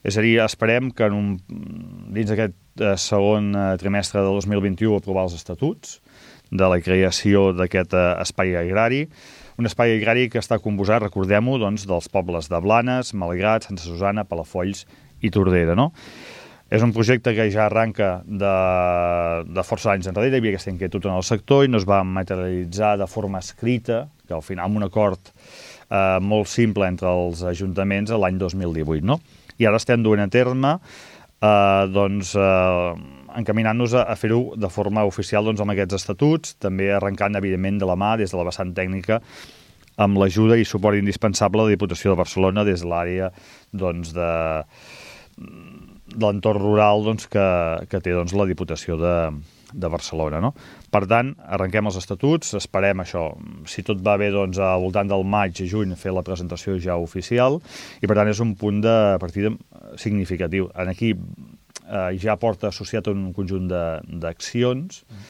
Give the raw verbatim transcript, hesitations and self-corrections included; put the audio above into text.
És a dir, esperem que en un, dins d'aquest eh, segon eh, trimestre del dos mil vint-i-u aprovar els estatuts de la creació d'aquest eh, espai agrari, un espai agrari que està composat, recordem-ho, doncs, dels pobles de Blanes, Malgrat, Santa Susana, Palafolls i Tordera, no? És un projecte que ja arranca de, de força anys enrere, hi havia aquesta inquietud en el sector i no es va materialitzar de forma escrita, que al final amb un acord eh, molt simple entre els ajuntaments l'any dos mil divuit, no? I ara estem duent a terme eh, doncs, eh, encaminant-nos a, a fer-ho de forma oficial doncs, amb aquests estatuts, també arrencant, evidentment, de la mà, des de la vessant tècnica, amb l'ajuda i suport indispensable de la Diputació de Barcelona des de l'àrea doncs, de, de l'entorn rural doncs, que, que té doncs, la Diputació de, de Barcelona. No? Per tant, arrenquem els estatuts, esperem això, si tot va bé, doncs, al voltant del maig i juny fer la presentació ja oficial, i per tant és un punt de partida significatiu. En aquí eh, ja porta associat un conjunt d'accions